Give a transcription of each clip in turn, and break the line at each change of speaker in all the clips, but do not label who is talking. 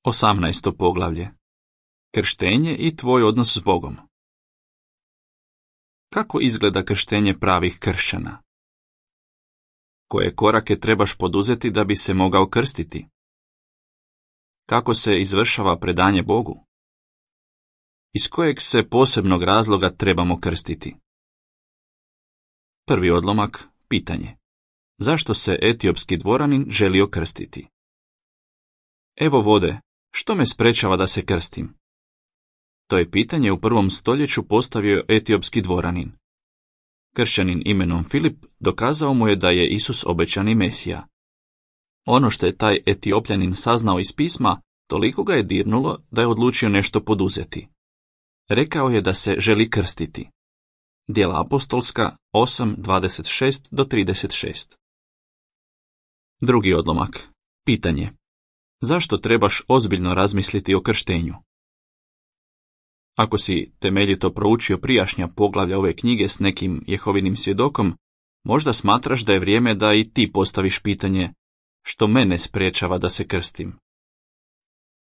18. poglavlje. Krštenje i tvoj odnos s Bogom. Kako izgleda krštenje pravih kršćana? Koje korake trebaš poduzeti da bi se mogao krstiti? Kako se izvršava predanje Bogu? Iz kojeg se posebnog razloga trebamo krstiti? Prvi odlomak, pitanje. Zašto se etiopski dvoranin želio krstiti? Evo vode, što me sprečava da se krstim? To je pitanje u 1. stoljeću postavio etiopski dvoranin. Kršćanin imenom Filip dokazao mu je da je Isus obećani Mesija. Ono što je taj Etiopljanin saznao iz pisma, toliko ga je dirnulo da je odlučio nešto poduzeti. Rekao je da se želi krstiti. Djela apostolska 8:26-36. Drugi odlomak. Pitanje. Zašto trebaš ozbiljno razmisliti o krštenju? Ako si temeljito proučio prijašnja poglavlja ove knjige s nekim Jehovinim svjedokom, možda smatraš da je vrijeme da i ti postaviš pitanje što mene sprečava da se krstim.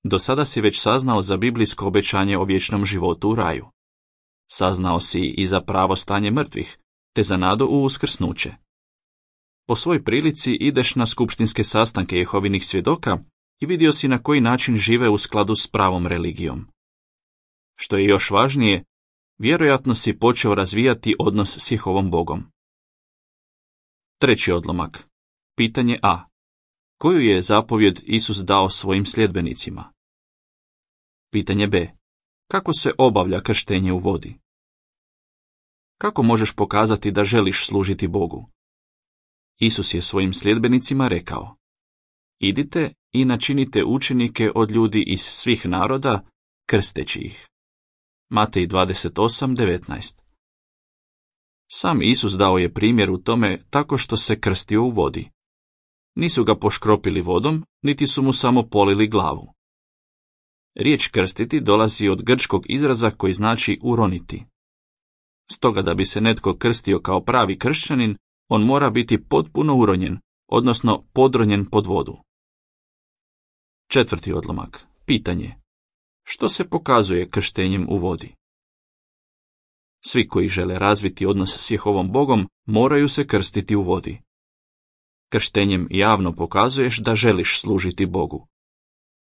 Do sada si već saznao za biblijsko obećanje o vječnom životu u raju. Saznao si i za pravo stanje mrtvih, te za nadu u uskrsnuće. Po svoj prilici ideš na skupštinske sastanke Jehovinih svjedoka i vidio si na koji način žive u skladu s pravom religijom. Što je još važnije, vjerojatno si počeo razvijati odnos s Jehovom Bogom. Treći odlomak. Pitanje A. Koju je zapovjed Isus dao svojim sljedbenicima? Pitanje B. Kako se obavlja krštenje u vodi? Kako možeš pokazati da želiš služiti Bogu? Isus je svojim sljedbenicima rekao: idite i načinite učenike od ljudi iz svih naroda, krsteći ih. Matej 28:19. Sam Isus dao je primjer u tome tako što se krstio u vodi. Nisu ga poškropili vodom, niti su mu samo polili glavu. Riječ krstiti dolazi od grčkog izraza koji znači uroniti. Stoga da bi se netko krstio kao pravi kršćanin, on mora biti potpuno uronjen, odnosno podronjen pod vodu. Četvrti odlomak. Pitanje. Što se pokazuje krštenjem u vodi? Svi koji žele razviti odnos s Jehovom Bogom moraju se krstiti u vodi. Krštenjem javno pokazuješ da želiš služiti Bogu.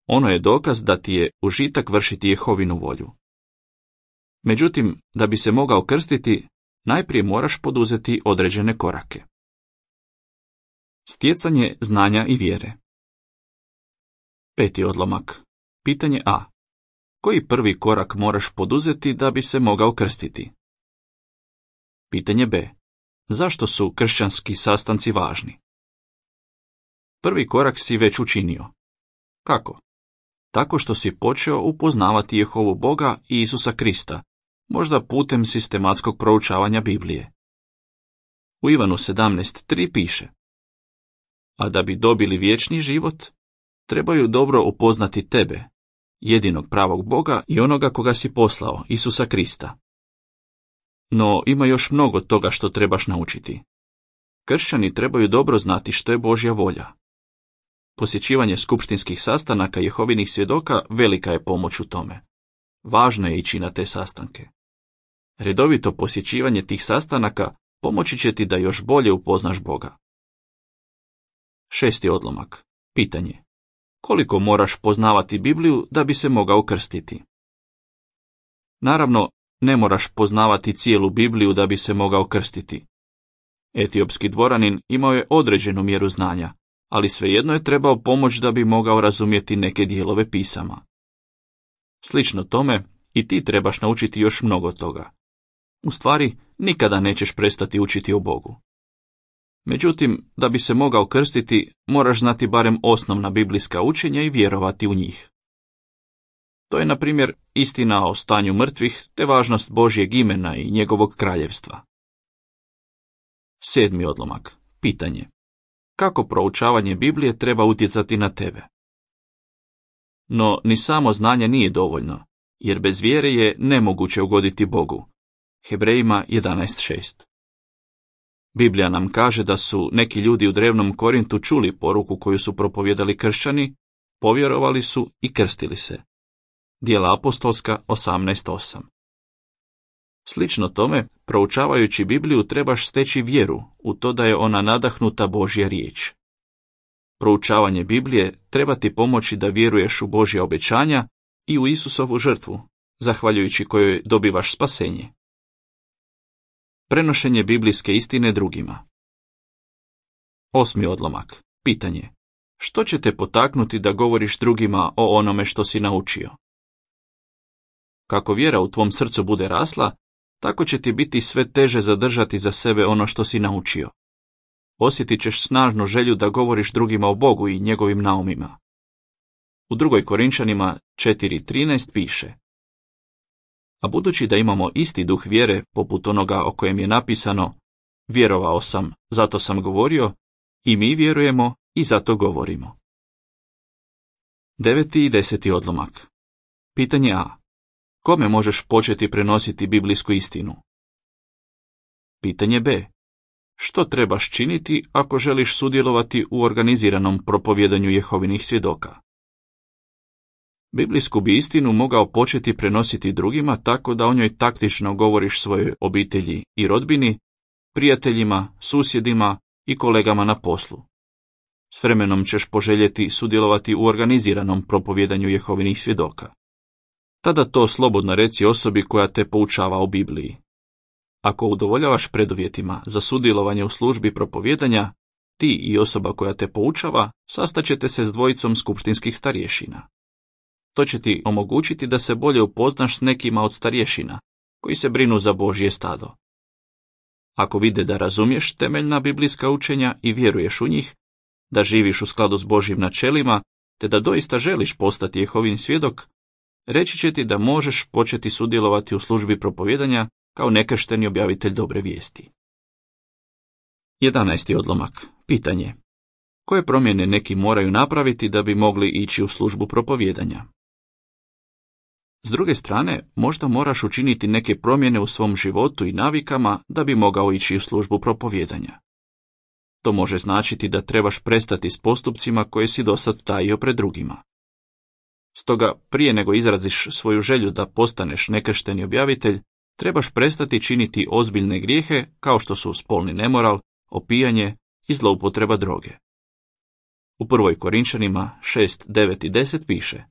Ono je dokaz da ti je užitak vršiti Jehovinu volju. Međutim, da bi se mogao krstiti, najprije moraš poduzeti određene korake. Stjecanje znanja i vjere. Peti odlomak. Pitanje A. Koji prvi korak moraš poduzeti da bi se mogao krstiti? Pitanje B. Zašto su kršćanski sastanci važni? Prvi korak si već učinio. Kako? Tako što si počeo upoznavati Jehovu Boga i Isusa Krista, možda putem sistematskog proučavanja Biblije. U Ivanu 17:3 piše: a da bi dobili vječni život, trebaju dobro upoznati tebe, jedinog pravog Boga i onoga koga si poslao, Isusa Krista. No ima još mnogo toga što trebaš naučiti. Kršćani trebaju dobro znati što je Božja volja. Posjećivanje skupštinskih sastanaka Jehovinih svjedoka velika je pomoć u tome. Važno je ići na te sastanke. Redovito posjećivanje tih sastanaka pomoći će ti da još bolje upoznaš Boga. Šesti odlomak. Pitanje. Koliko moraš poznavati Bibliju da bi se mogao krstiti? Naravno, ne moraš poznavati cijelu Bibliju da bi se mogao krstiti. Etiopski dvoranin imao je određenu mjeru znanja, ali svejedno je trebao pomoć da bi mogao razumjeti neke dijelove pisama. Slično tome, i ti trebaš naučiti još mnogo toga. U stvari, nikada nećeš prestati učiti o Bogu. Međutim, da bi se mogao krstiti, moraš znati barem osnovna biblijska učenja i vjerovati u njih. To je, na primjer, istina o stanju mrtvih te važnost Božjeg imena i njegovog kraljevstva. Sedmi odlomak. Pitanje. Kako proučavanje Biblije treba utjecati na tebe? No, ni samo znanje nije dovoljno, jer bez vjere je nemoguće ugoditi Bogu. Hebrejima 11:6. Biblija nam kaže da su neki ljudi u drevnom Korintu čuli poruku koju su propovijedali kršćani, povjerovali su i krstili se. Djela apostolska 18:8. Slično tome, proučavajući Bibliju trebaš steći vjeru u to da je ona nadahnuta Božja riječ. Proučavanje Biblije treba ti pomoći da vjeruješ u Božja obećanja i u Isusovu žrtvu, zahvaljujući kojoj dobivaš spasenje. Prenošenje biblijske istine drugima. 8. odlomak. Pitanje. Što će te potaknuti da govoriš drugima o onome što si naučio? Kako vjera u tvom srcu bude rasla, tako će ti biti sve teže zadržati za sebe ono što si naučio. Osjetit ćeš snažnu želju da govoriš drugima o Bogu i njegovim naumima. U 2. Korinčanima 4:13 piše: A budući da imamo isti duh vjere, poput onoga o kojem je napisano, vjerovao sam, zato sam govorio, i mi vjerujemo i zato govorimo. 9. i 10. odlomak. Pitanje A. Kome možeš početi prenositi biblijsku istinu? Pitanje B. Što trebaš činiti ako želiš sudjelovati u organiziranom propovjedanju Jehovinih svjedoka? Biblijsku bi istinu mogao početi prenositi drugima tako da o njoj taktično govoriš svojoj obitelji i rodbini, prijateljima, susjedima i kolegama na poslu. S vremenom ćeš poželjeti sudjelovati u organiziranom propovjedanju Jehovinih svjedoka. Tada to slobodno reci osobi koja te poučava o Bibliji. Ako udovoljavaš preduvjetima za sudjelovanje u službi propovjedanja, ti i osoba koja te poučava sastaćete se s dvojicom skupštinskih starješina. To će ti omogućiti da se bolje upoznaš s nekima od starješina, koji se brinu za Božje stado. Ako vide da razumiješ temeljna biblijska učenja i vjeruješ u njih, da živiš u skladu s Božjim načelima, te da doista želiš postati Jehovin svjedok, reći će ti da možeš početi sudjelovati u službi propovjedanja kao nekršteni objavitelj dobre vijesti. 11. odlomak. Pitanje. Koje promjene neki moraju napraviti da bi mogli ići u službu propovjedanja? S druge strane, možda moraš učiniti neke promjene u svom životu i navikama da bi mogao ići u službu propovjedanja. To može značiti da trebaš prestati s postupcima koje si dosad tajio pred drugima. Stoga, prije nego izraziš svoju želju da postaneš nekršteni objavitelj, trebaš prestati činiti ozbiljne grijehe kao što su spolni nemoral, opijanje i zloupotreba droge. U 1. Korinčanima 6, 9 i 10 piše: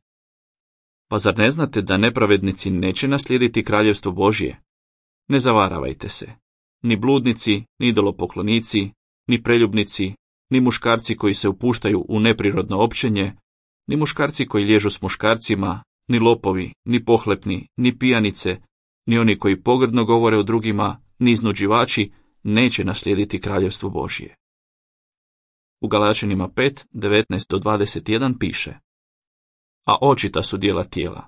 Pa zar ne znate da nepravednici neće naslijediti kraljevstvo Božje? Ne zavaravajte se. Ni bludnici, ni idolopoklonici, ni preljubnici, ni muškarci koji se upuštaju u neprirodno općenje, ni muškarci koji liježu s muškarcima, ni lopovi, ni pohlepni, ni pijanice, ni oni koji pogrdno govore o drugima, ni iznuđivači, neće naslijediti kraljevstvo Božje. U Galačanima 5, 19 do 21 piše: A očita su djela tijela.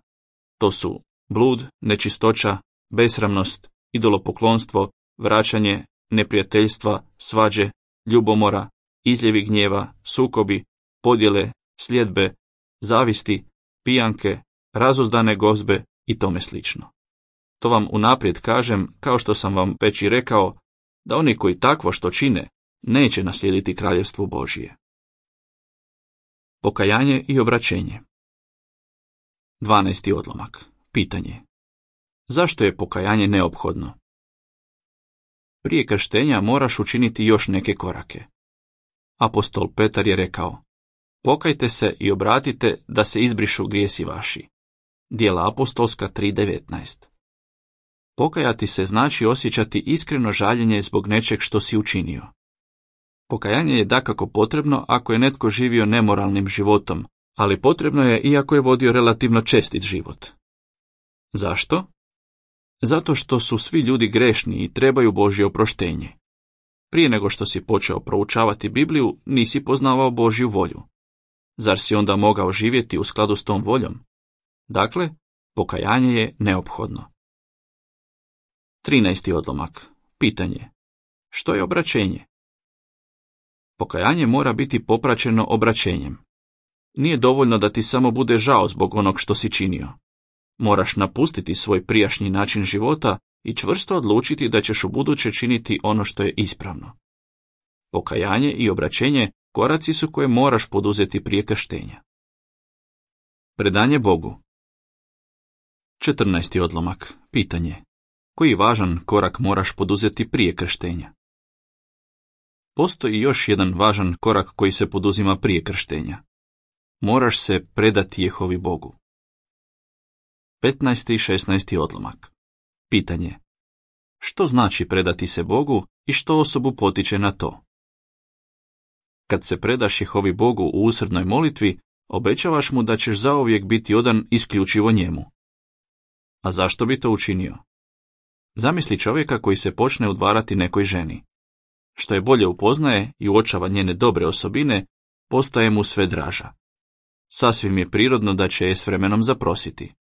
To su blud, nečistoća, besramnost, idolopoklonstvo, vraćanje, neprijateljstva, svađe, ljubomora, izljevi gnjeva, sukobi, podjele, sljedbe, zavisti, pijanke, razuzdane gozbe i tome slično. To vam unaprijed kažem, kao što sam vam već i rekao, da oni koji takvo što čine, neće naslijediti kraljevstvo Božje. Pokajanje i obraćenje. 12. odlomak. Pitanje. Zašto je pokajanje neophodno? Prije krštenja moraš učiniti još neke korake. Apostol Petar je rekao: Pokajte se i obratite da se izbrišu grijesi vaši. Djela apostolska 3.19. Pokajati se znači osjećati iskreno žaljenje zbog nečeg što si učinio. Pokajanje je dakako potrebno ako je netko živio nemoralnim životom, ali potrebno je i ako je vodio relativno čestit život. Zašto? Zato što su svi ljudi grešni i trebaju Božje oproštenje. Prije nego što si počeo proučavati Bibliju, nisi poznavao Božju volju. Zar si onda mogao živjeti u skladu s tom voljom? Dakle, pokajanje je neophodno. 13. odlomak. Pitanje. Što je obraćenje? Pokajanje mora biti popraćeno obraćenjem. Nije dovoljno da ti samo bude žao zbog onog što si činio. Moraš napustiti svoj prijašnji način života i čvrsto odlučiti da ćeš ubuduće činiti ono što je ispravno. Pokajanje i obraćenje koraci su koje moraš poduzeti prije krštenja. Predanje Bogu. 14. odlomak. Pitanje. Koji važan korak moraš poduzeti prije krštenja? Postoji još jedan važan korak koji se poduzima prije krštenja. Moraš se predati Jehovi Bogu. 15. i 16. odlomak. Pitanje. Što znači predati se Bogu i što osobu potiče na to? Kad se predaš Jehovi Bogu u usrdnoj molitvi, obećavaš mu da ćeš zauvijek biti odan isključivo njemu. A zašto bi to učinio? Zamisli čovjeka koji se počne udvarati nekoj ženi. Što je bolje upoznaje i uočava njene dobre osobine, postaje mu sve draža. Sasvim je prirodno da će je s vremenom zaprositi.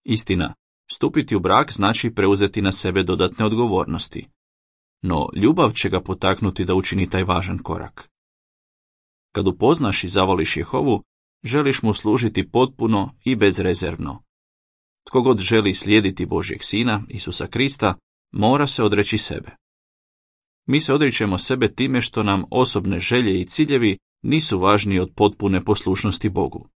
Istina, stupiti u brak znači preuzeti na sebe dodatne odgovornosti. No ljubav će ga potaknuti da učini taj važan korak. Kad upoznaš i zavoliš Jehovu, želiš mu služiti potpuno i bezrezervno. Tko god želi slijediti Božjeg Sina, Isusa Krista, mora se odreći sebe. Mi se odričemo sebe time što nam osobne želje i ciljevi nisu važniji od potpune poslušnosti Bogu.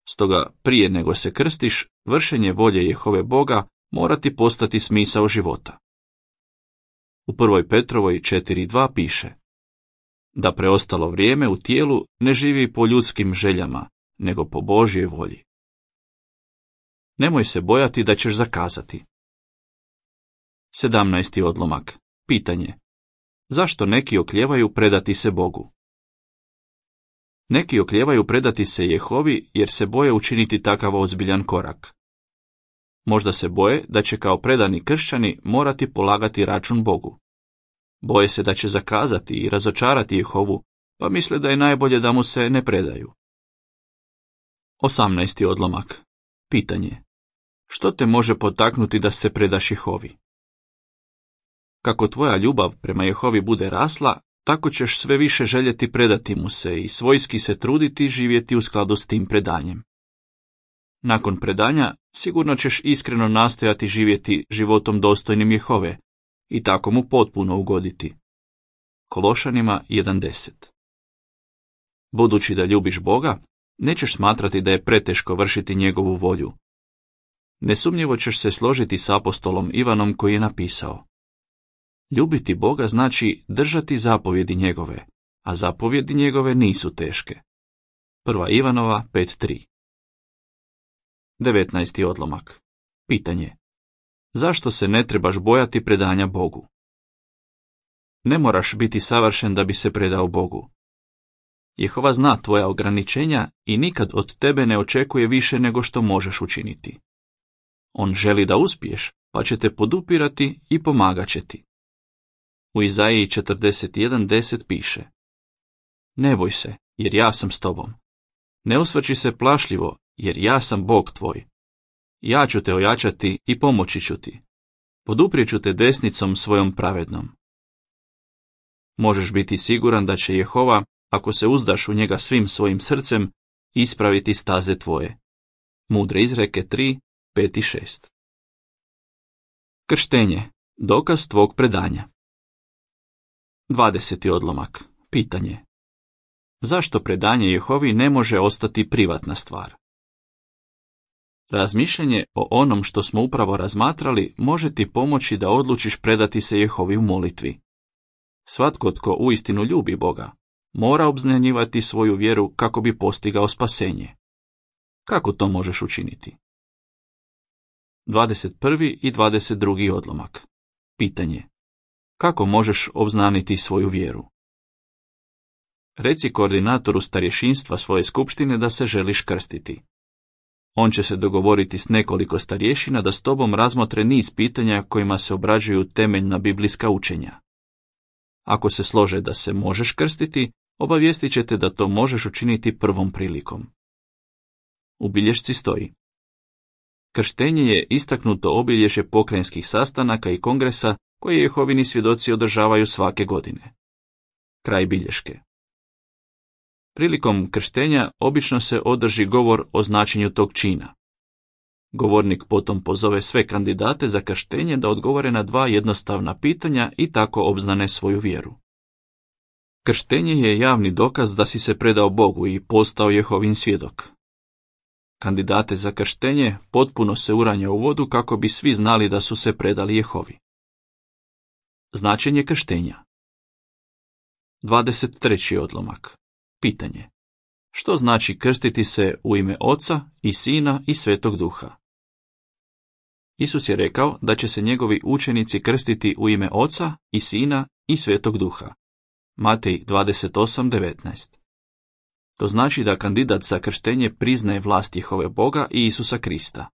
Stoga, prije nego se krstiš, vršenje volje Jehove Boga mora ti postati smisao života. U 1. Petrovoj 4.2 piše: da preostalo vrijeme u tijelu ne živi po ljudskim željama, nego po Božjoj volji. Nemoj se bojati da ćeš zakazati. 17. odlomak. Pitanje. Zašto neki oklijevaju predati se Bogu? Neki oklijevaju predati se Jehovi jer se boje učiniti takav ozbiljan korak. Možda se boje da će kao predani kršćani morati polagati račun Bogu. Boje se da će zakazati i razočarati Jehovu, pa misle da je najbolje da mu se ne predaju. 18. odlomak. Pitanje. Što te može potaknuti da se predaš Jehovi? Kako tvoja ljubav prema Jehovi bude rasla, tako ćeš sve više željeti predati mu se i svojski se truditi živjeti u skladu s tim predanjem. Nakon predanja sigurno ćeš iskreno nastojati živjeti životom dostojnim Jehove i tako mu potpuno ugoditi. Kološanima 1.10. Budući da ljubiš Boga, nećeš smatrati da je preteško vršiti njegovu volju. Nesumnjivo ćeš se složiti s apostolom Ivanom koji je napisao: ljubiti Boga znači držati zapovjedi njegove, a zapovjedi njegove nisu teške. 1. Ivanova 5.3. 19. odlomak. Pitanje. Zašto se ne trebaš bojati predanja Bogu? Ne moraš biti savršen da bi se predao Bogu. Jehova zna tvoja ograničenja i nikad od tebe ne očekuje više nego što možeš učiniti. On želi da uspiješ, pa će te podupirati i pomagat će ti. U Izaiji 41.10 piše: ne boj se, jer ja sam s tobom. Ne usvrći se plašljivo, jer ja sam Bog tvoj. Ja ću te ojačati i pomoći ću ti. Poduprijet ću te desnicom svojom pravednom. Možeš biti siguran da će Jehova, ako se uzdaš u njega svim svojim srcem, ispraviti staze tvoje. Mudre izreke 3, 5 i 6. Krštenje. Dokaz tvog predanja. 20. odlomak. Pitanje. Zašto predanje Jehovi ne može ostati privatna stvar? Razmišljanje o onom što smo upravo razmatrali može ti pomoći da odlučiš predati se Jehovi u molitvi. Svatko tko uistinu ljubi Boga, mora obznanjivati svoju vjeru kako bi postigao spasenje. Kako to možeš učiniti? 21. i 22. odlomak. Pitanje. Kako možeš obznaniti svoju vjeru? Reci koordinatoru starješinstva svoje skupštine da se želiš krstiti. On će se dogovoriti s nekoliko starješina da s tobom razmotre niz pitanja kojima se obrađuju temeljna biblijska učenja. Ako se slože da se možeš krstiti, obavijestit će te da to možeš učiniti prvom prilikom. U bilješci stoji: krštenje je istaknuto obilježje pokrajinskih sastanaka i kongresa koje Jehovini svjedoci održavaju svake godine. Kraj bilješke. Prilikom krštenja obično se održi govor o značenju tog čina. Govornik potom pozove sve kandidate za krštenje da odgovore na 2 jednostavna pitanja i tako obznane svoju vjeru. Krštenje je javni dokaz da si se predao Bogu i postao Jehovin svjedok. Kandidate za krštenje potpuno se uranja u vodu kako bi svi znali da su se predali Jehovi. Značenje krštenja. 23. odlomak. Pitanje. Što znači krstiti se u ime Oca i Sina i Svetog Duha? Isus je rekao da će se njegovi učenici krstiti u ime Oca i Sina i Svetog Duha. Matej 28:19. To znači da kandidat za krštenje priznaje vlast Jehove Boga i Isusa Krista.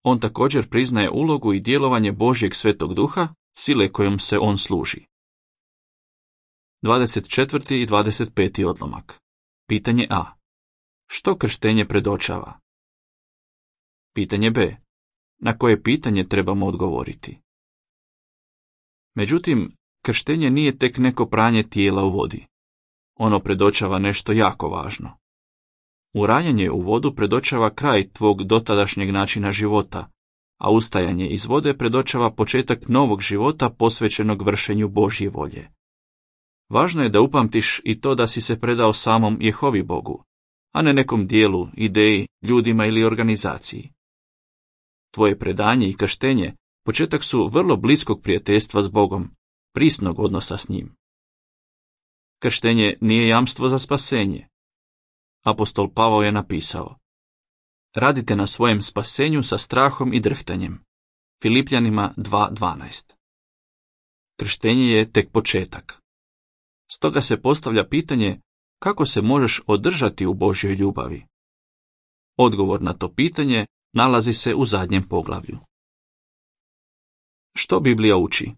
On također priznaje ulogu i djelovanje Božjeg Svetog Duha, sile kojom se on služi. 24. i 25. odlomak. Pitanje A. Što krštenje predočava? Pitanje B. Na koje pitanje trebamo odgovoriti? Međutim, krštenje nije tek neko pranje tijela u vodi. Ono predočava nešto jako važno. Uranjanje u vodu predočava kraj tvog dotadašnjeg načina života, a ustajanje iz vode predočava početak novog života posvećenog vršenju Božje volje. Važno je da upamtiš i to da si se predao samom Jehovi Bogu, a ne nekom dijelu, ideji, ljudima ili organizaciji. Tvoje predanje i krštenje početak su vrlo bliskog prijateljstva s Bogom, prisnog odnosa s njim. Krštenje nije jamstvo za spasenje. Apostol Pavao je napisao: radite na svojem spasenju sa strahom i drhtanjem. Filipljanima 2:12. Krštenje je tek početak. Stoga se postavlja pitanje kako se možeš održati u Božjoj ljubavi. Odgovor na to pitanje nalazi se u zadnjem poglavlju. Što Biblija uči?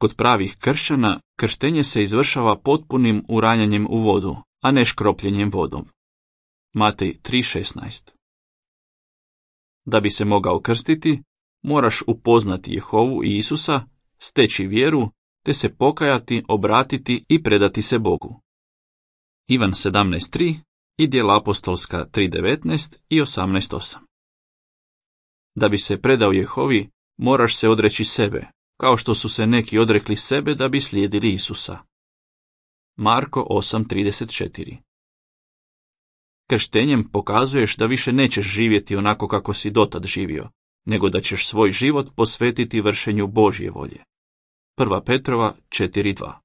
Kod pravih kršćana krštenje se izvršava potpunim uranjanjem u vodu, a ne škropljenjem vodom. Matej 3:16. Da bi se mogao krstiti, moraš upoznati Jehovu i Isusa, steći vjeru, te se pokajati, obratiti i predati se Bogu. Ivan 17:3 i Djela apostolska 3:19 i 18:8. Da bi se predao Jehovi, moraš se odreći sebe, kao što su se neki odrekli sebe da bi slijedili Isusa. Marko 8:34. Krštenjem pokazuješ da više nećeš živjeti onako kako si dotad živio, nego da ćeš svoj život posvetiti vršenju Božje volje. 1. Petrova 4:2.